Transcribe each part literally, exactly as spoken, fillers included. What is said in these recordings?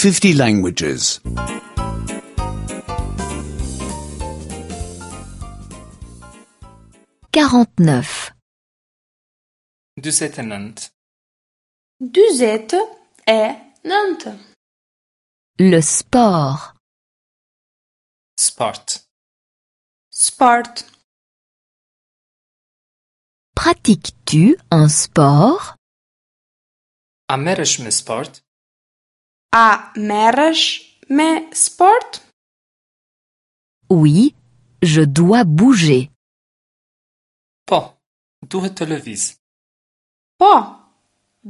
fifty languages. quarante-neuf. Dyzet e nëntë. Dyzet e nëntë. Le sport. Sport. Sport. Pratiques-tu un sport? A merresh me sport? A merresh me sport? Oui, je dois bouger. Po, duhet të lëviz. Po,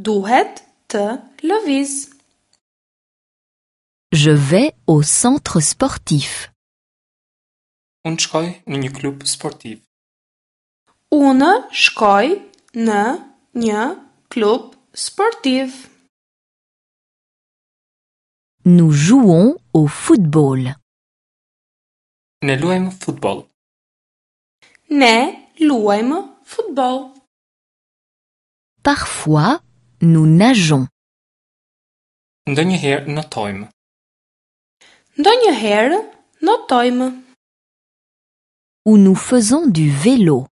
duhet të lëviz. Je vais au centre sportif. Unë shkoj në një klub sportiv. Unë shkoj në një klub sportiv. Nous jouons au football. Ne luajmë futboll. Ne luajmë futboll. Parfois, nous nageons. Ndonjëherë notojmë. Ndonjëherë notojmë. Ou nous faisons du vélo.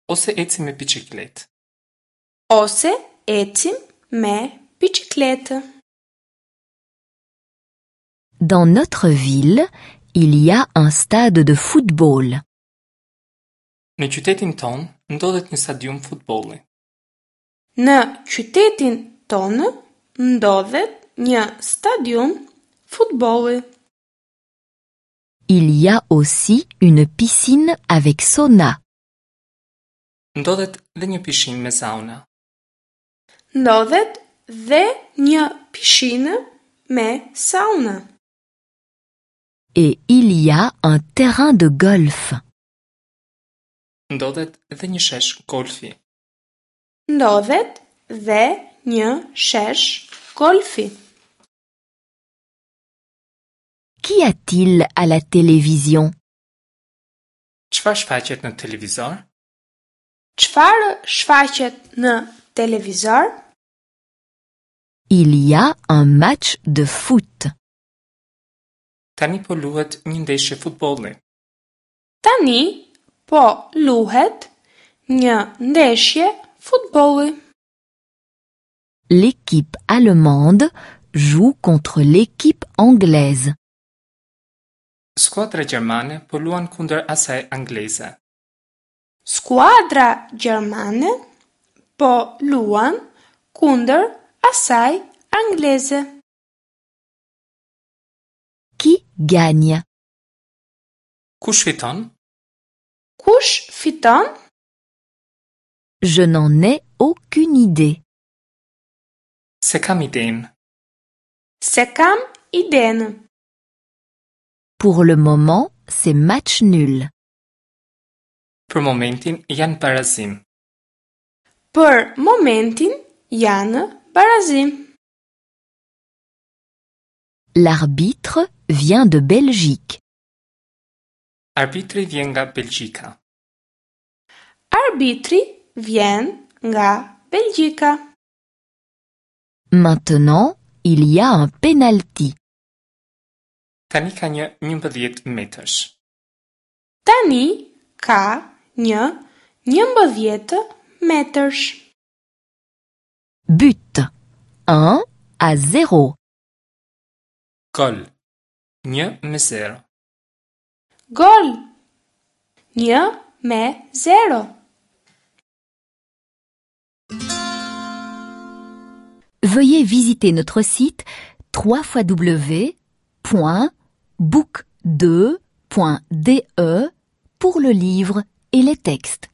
Ose ecim me biçikletë. Ose ecim me biçikletë. Dans notre ville, il y a un stade de football. Në qytetin tonë ndodhet një stadium futbolli. Në qytetin tonë ndodhet një stadium futbolli. Il y a aussi une piscine avec sauna. Ndodhet dhe një pishinë me sauna. Ndodhet dhe një pishinë me sauna. Et il y a un terrain de golf. Ndodhet dhe një shesh golfi. Ndodhet dhe një shesh golfi. Qu'y a-t-il à la télévision? Çfarë shfaqet në televizor? Çfarë shfaqet në televizor? Il y a un match de foot. Tani po luhet një ndeshje futbolli. Tani po luhet një ndeshje futbolli. L'équipe allemande joue contre l'équipe anglaise. Skuadra gjermane po luan kundër asaj angleze. Skuadra gjermane po luan kundër asaj angleze. Qui gagne? Kush fiton? Kush fiton? Je n'en ai aucune idée. Se kam idenë. Se kam idenë. Pour le moment, c'est match nul. Për momentin janë barazim. Për momentin janë barazim. L'arbitre vient de Belgique. Arbitri vjen nga Belgjika. Arbitri vjen nga Belgjika. Maintenant, il y a un penalty. Tani ka një njëmbëdhjetë metërsh. Tani ka një njëmbëdhjetë metërsh. But. un à zéro. Gol. Një me zero. Gol. Një me zero. Veuillez visiter notre site trois fois w point book deux point d e pour le livre et les textes.